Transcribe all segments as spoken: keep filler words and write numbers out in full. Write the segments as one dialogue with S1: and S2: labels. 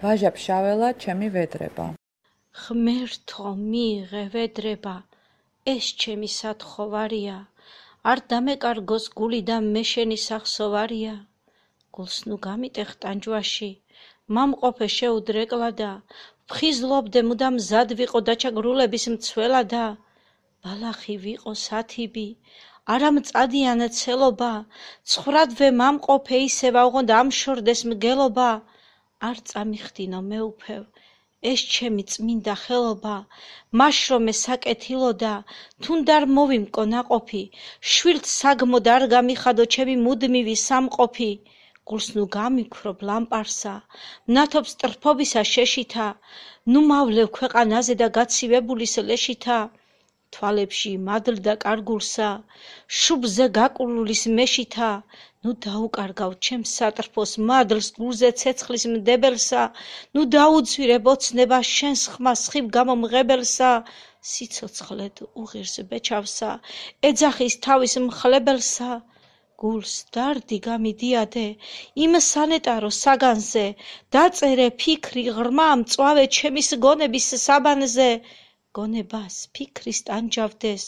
S1: ვაჟა ფშაველა, ჩემი ვედრება.
S2: ღმერთო მიიღე ვედრება, ეს ჩემი სათხოვარია, არ დამეკარგოს გული და მე შენი სახსოვარია. გულს ნუ გამიტეხ ტანჯვაში, მამყოფე შეუდრეკლადა, ვხიზლობდე მუდამ მზად ვიყო დაჩაგრულების მცველადა. ბალახი ვიყო სათიბი, არა მწადიანა ცელობა, ცხრადვე მამყოფე ისევ ავღონდ ამშორდეს მგელობა. არ წამიხდინო მეუფევ, ეს ჩემი წმინდა ხელობა, მაშრომე საკეთილოდა, თუნდ არ მოვიმკო ნაყოფი, შვილთ საგმოდ არ გამიხადო ჩემი მუდმივი სამყოფი. გულს ნუ გამიქრობ ლამპარსა, მნათობს ტრფობისა შეშითა, ნუ მავლევ ქვეყანაზე და გაცივებულის ლეშითა. თვალებში მადლ და კარგულსა, შუბზე გაკურულის მეშითა, ნუ დაუკარგავ ჩემს სატრფოს მადლს გულზე ცეცხლის მდებელსა, ნუ დაუძვირებ ოცნება შენს ხმას ხიბ გამომღებელსა. სიცოცხლედ უღირს ბეჩავსა, ეძახის თავის მხლებელსა. გულს დარდი გამიდიადე, იმ სანეტარო საგანზე, დაწერე ფიქრი ღრმა მწვავე ჩემის გონების საბანზე. გონებას ფიქრის ტანჯავდეს,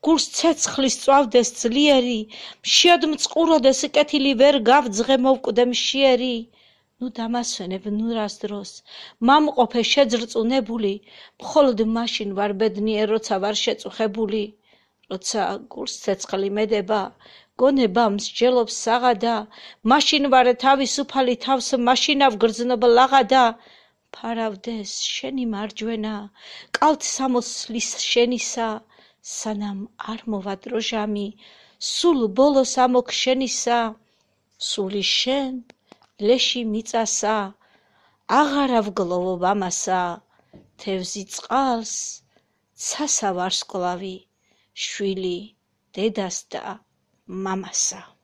S2: გულს ცეცხლის წვავდეს ძლიერი, მშიოდ მწყუროდეს კეთილი ვერ გავძღე მოვკვდე მშიერი. ნუ დამასვენებ ნურას დროს, მამყოფე შეძრწუნებული, მხოლოდ მაშინ ვარ ბედნიერ, როცა ვარ შეწუხებული. როცა გულს ცეცხლი მედება, გონება მსჯელობს საღადა, მაშინ ვარ თავისუფალი თავს მაშინავ გრძნობ ლაღადა. ფარავდეს შენი მარჯვენა, კალთ სამოსლის შენისა, სანამ არ მოვა დროჟამი, სულ ბოლოს ამოქ შენისა. სული შენ, ლეში მიწასა, აღარა ვგლოვობ ამასა, თევზი წყალს, ცასა ვარსკვლავი, შვილი დედას და მამასა.